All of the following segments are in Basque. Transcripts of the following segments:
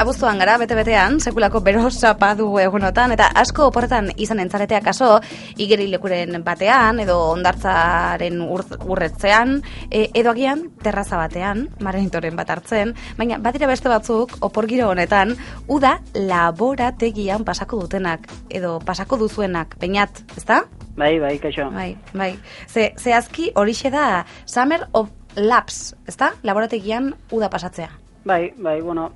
Abuztuan gara, bete-betean, sekulako bero sapa dugu egunotan, eta asko oporretan izan entzaretea kaso, igerilekuren batean, edo ondartzaren urretzean, edo agian terraza batean, marenitoren bat hartzen, baina badira beste batzuk, opor giro honetan, uda laborategian pasako dutenak, edo pasako duzuenak, Beñat, ezta? Bai, kaixo. Bai. Zehazki horixe da Summer of Labs, ezta? Laborategian uda pasatzea. Bai, bueno,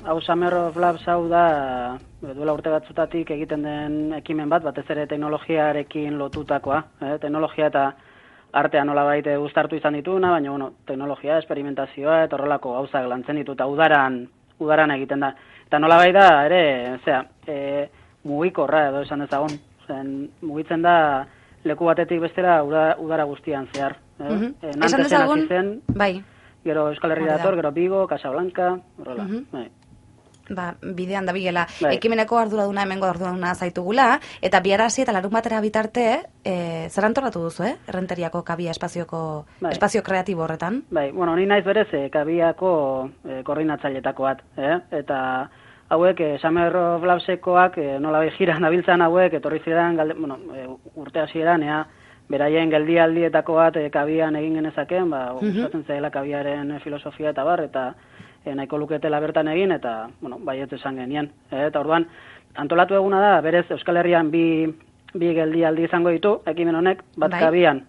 hau Summer of Labs hau da, duela urte batzutatik egiten den ekimen bat, batez ere teknologiarekin lotutakoa. Teknologia eta artea nolabait uztartu izan dituna, baina, bueno, teknologia, esperimentazioa, eta horrelako gauzak lantzen ditu, eta udaran egiten da. Eta nolabait da, ere, mugikorra edo esan dezagun. Mugitzen da leku batetik bestera udara guztian zehar. Esan dezagun, bai. Gero Euskal Herria dator, gero Vigo, Casablanca, horrela. Bidean da bigela. Bai. Ekimeneko arduraduna, hemengo arduraduna zaitugula, eta biarazi eta larun batera bitarte, zer antolatu duzu, Errenteriako kabia espazio kreatibo horretan? Bai, bueno, ni naiz berez kabiako koordinatzailetako bat, eta hauek, Summer of Labsekoak, nola jiran nabiltzan hauek, etorri ziren, urte hasieran, beraien geldialdietako bat kabian egin genezaken, gustatzen zaila kabiaren filosofia eta bar, eta nahiko luketela bertan egin, eta, baiet esan genien. Eta orduan, antolatu eguna da, berez Euskal Herrian bi geldialdi izango ditu, ekimen honek, bat kabian,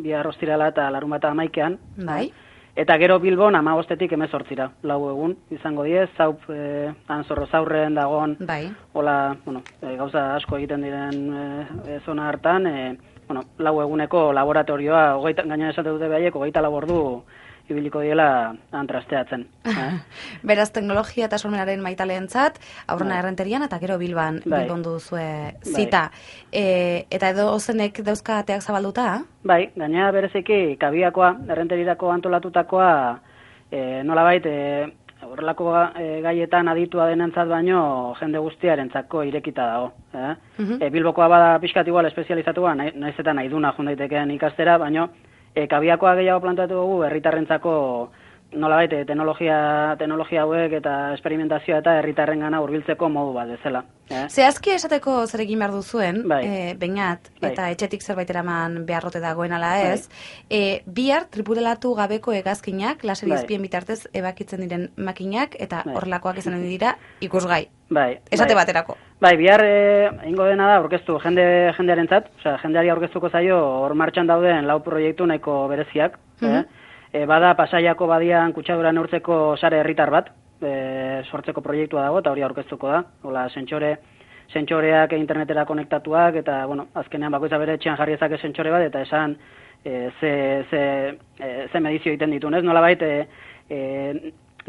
bihar ostirala eta larunbata 11ean. Bai. Eta gero Bilbon 15etik 18 lau egun izango die, zaup anzorro zaurren dagon, hola, gauza asko egiten diren zona hartan, lau eguneko laboratorioa, gaina esate dute behaiek, 24 ordu ibiliko diela antrasteatzen. Beraz, teknologia eta sormenaren maitaleentzat, aurrena Errenterian eta gero Bilbon duzue zita. Eta edo zenek dauzka ateak zabalduta? Bai, gaina bereziki kabiakoa, Errenterirako antolatutakoa, nolabait, horrelako gaietan aditua denentzat baino jende guztiarentzako irekita dago. Bilbokoa bada pixkat igual espezializatua, naiz eta nahi duna jundaitekeen ikastera, baino kabiakoa gehiago plantatu dugu herritarrentzako nolabait teknologia hauek eta esperimentazioa eta herritarrengana hurbiltzeko modu bat bezala. Zehazki esateko zer egin behar duzuen, Beñat, eta etxetik zerbait eraman beharrote dagoen ala ez, bihar tripulatu gabeko hegazkinak, laser izpien bitartez ebakitzen diren makinak, eta horrelakoak izan dira ikusgai. Esate baterako. Bihar egingo dena da aurkeztu jendearentzat, jendeari aurkeztuko zaio hor martxan dauden 4 proiektu nahiko bereziak. Bada Pasaiako badian kutsadura neurtzeko sare herritar bat, sortzeko proiektua dago, eta hori aurkeztuko da. Hola, sentsoreak internetera konektatuak, eta, azkenean bakoitza bere etxean jarri ezake sentsore bat, eta esan ze medizio egiten ditunez. Nolabait,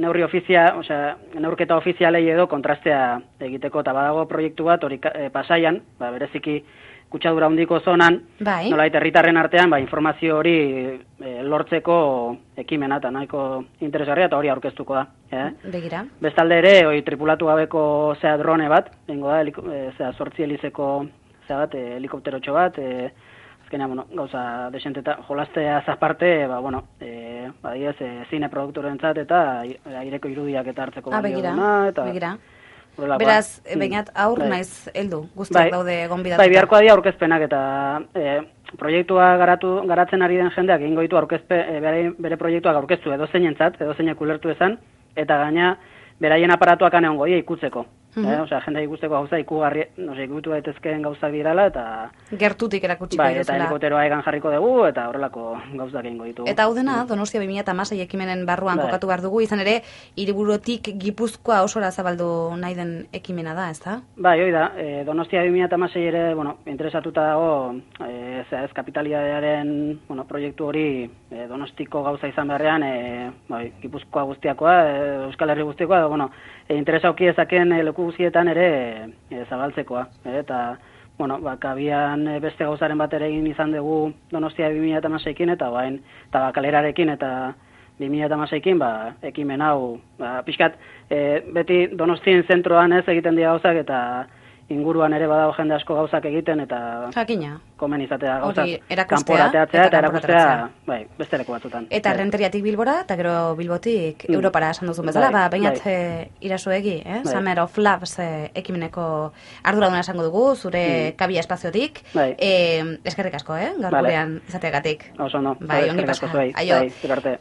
neurketa ofizialei edo kontrastea egiteko, eta badago proiektu bat, hori Pasaian, bereziki kutsadura handiko zonan, nolabait herritarren artean, informazio hori lortzeko ekimena, eta nahiko interesgarria, eta hori aurkeztuko da. Begira. Bestalde ere, tripulatu gabeko drone bat, egingo da, 8 helizeko helikopterotxo bat, azkenean, gauza desenteta, jolaztea zaparte, zine produktorentzat eta aireko irudiak eta hartzeko balio duna, eta... Begira. Beraz, Beñat, aur naiz heldu, guztiak daude gonbidatuta. Biharkoa dira aurkezpenak eta proiektua garatzen ari den jendeak egingo ditu bere proiektuak aurkeztu edozeinentzat, edozeinek ulertu ezan, eta gaina beraien aparatuak aneongo dira ikutzeko. Jendea ikusteko gauza ikutu daitezkeen gauzak dirala, eta... Gertutik erakutsiko dira. Eta helikopteroa egan jarriko dugu, eta horrelako gauzak egingo ditugu. Eta hau dena, Donostia 2016 ekimenen barruan kokatu behar dugu, izan ere, Hiriburutik Gipuzkoa osora zabaldu nahi den ekimena da, ezta? Hoi da, Donostia 2016 ere, interesatuta dago, kapitalidadearen proiektu hori Donostiko gauza izan beharrean, Gipuzkoa guztiakoa, Euskal Herri guztiakoa, interesa auki ezaken leku guztietan ere zabaltzekoa. Eta, kabian beste gauzaren bat ere egin izan dugu Donostia 2016-ekin, eta Bakalerarekin, eta 2016-ekin, ekimen hau, pixkat, beti Donostien zentroan ez egiten dira gauzak, eta inguruan ere badago jende asko gauzak egiten, eta Jakina. komen izatea gauzak erakustea, kanporateatzea eta erakustea, kanporatzea. bai, beste leku batzutan. Eta Renteriatik Bilbora, eta gero Bilbotik Europara esan duzun bezala, bainat irazuegi, Summer of Loves ekimeneko arduraduna esango dugu, zure kabia espaziotik. Eskerrik asko, gaur gurean izateagatik. Oso, no. Bai, ongi pasa. Aio.